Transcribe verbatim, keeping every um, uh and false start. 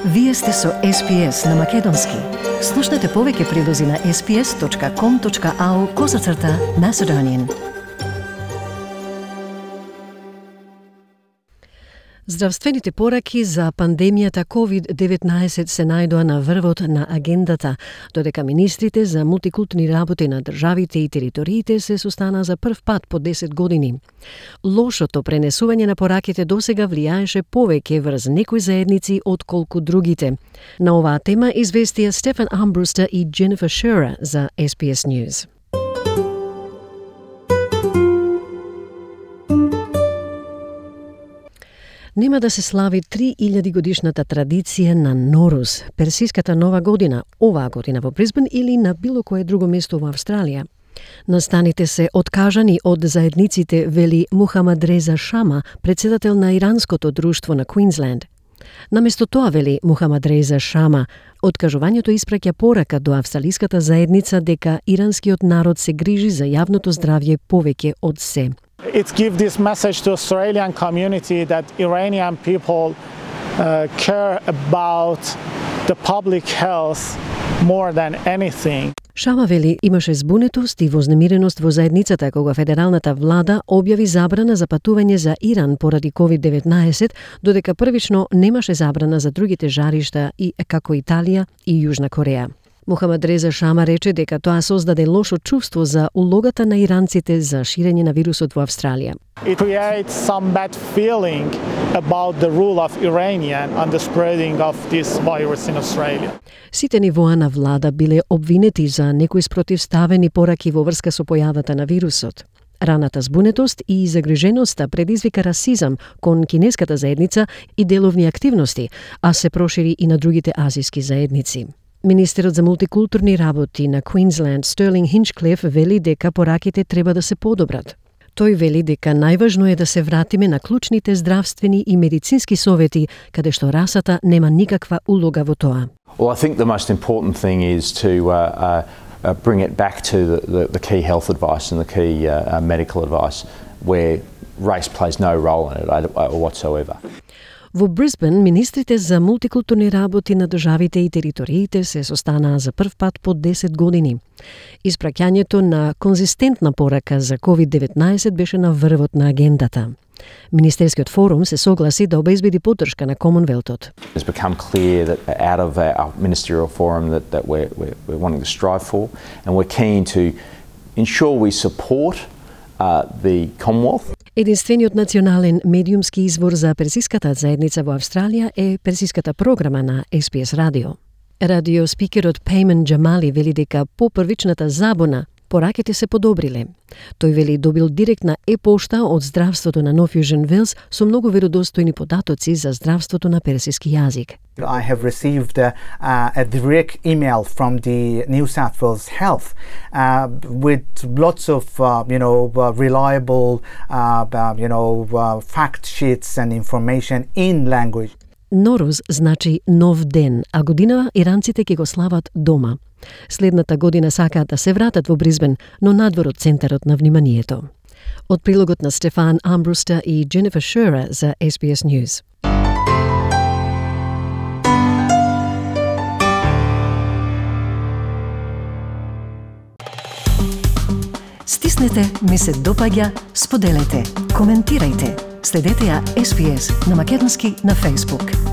Вие сте со Ес Би Ес на Македонски. Слушнете повеќе прилози на ес би ес точка ком точка ау козацрта Macedonian. Здравствените пораки за пандемијата ковид деветнаесет се најдоа на врвот на агендата, додека министрите за мултикултурни работи на државите и териториите се состана за прв пат по десет години. Лошото пренесување на пораките досега влијаеше повеќе врз некои заедници отколку другите. На оваа тема известија Стефан Армбрустер и Jennifer Shearer за Ес Би Ес News. Нема да се слави три илјади годишната традиција на Норус, персиската нова година, оваа година во Брисбен или на било кое друго место во Австралија. Настаните се откажани од заедниците, вели Мухамад Реза Шама, председател на иранското друштво на Квинсленд. Наместо тоа, вели Мухамад Реза Шама, откажувањето испраќа порака до австралиската заедница дека иранскиот народ се грижи за јавното здравје повеќе од се. It gives this message to Australian community that Iranian people uh, care about the public health more than anything. Шама вели имаше збунетост и вознемиреност во заедницата кога федералната влада објави забрана за патување за Иран поради ковид деветнаесет, додека првично немаше забрана за другите жаришта и како Италија и Јужна Кореја. Мухамад Реза Шама рече дека тоа создаде лошо чувство за улогата на иранците за ширење на вирусот во Австралија. It creates some bad feeling about the rule of Iranian on the spreading of this virus in Australia. Сите нивоа на влада биле обвинети за некои спротивставени пораки во врска со појавата на вирусот. Раната збунетост и загриженоста предизвика расизам кон кинеската заедница и деловни активности, а се прошири и на другите азиски заедници. Министерот за мултикултурни работи на Квинсленд Стерлинг Хинчклиф вели дека пораките треба да се подобрат. Тој вели дека најважно е да се вратиме на клучните здравствени и медицински совети, каде што расата нема никаква улога во тоа. Well, I think the most important thing is to uh, uh, bring it back to the, the, the key health advice and the key uh, uh, medical advice, where race plays no role in it uh, whatsoever. Во Брисбен, министрите за мултикултурни работи на државите и териториите се состанаа за прв пат по десет години. Испраќањето на конзистентна порака за ковид деветнаесет беше на врвот на агендата. Министерскиот форум се согласи да обезбеди поддршка на Комонвелтот. It's become clear that out of our ministerial forum that, that we're, we're, we're wanting to strive for, and we're keen to ensure we support uh, the Commonwealth. Единствениот национален медиумски извор за персиската заедница во Австралија е персиската програма на Ес Би Ес Радио. Радио спикерот Пеймен Джамали вели дека по првичната забуна пораките се подобриле. Тој вели добил директна е-пошта од здравството на Нов Јужен Велс со многу веродостојни податоци за здравството на персиски јазик. I have received uh, uh, a direct email from the New South Wales Health uh, with lots of uh, you know uh, reliable uh, uh, you know uh, fact sheets and information in language. Норус значи нов ден, а година иранците ќе го слават дома. Следната година сакаат да се вратат во Брисбен, но надвор од центарот на вниманието. Од прилогот на Стефан Армбрустер и Jennifer Shearer за Ес Би Ес News. Стиснете, ми се допаѓа, споделете, коментирајте. Следете ја Ес Би Ес на Македонски на Facebook.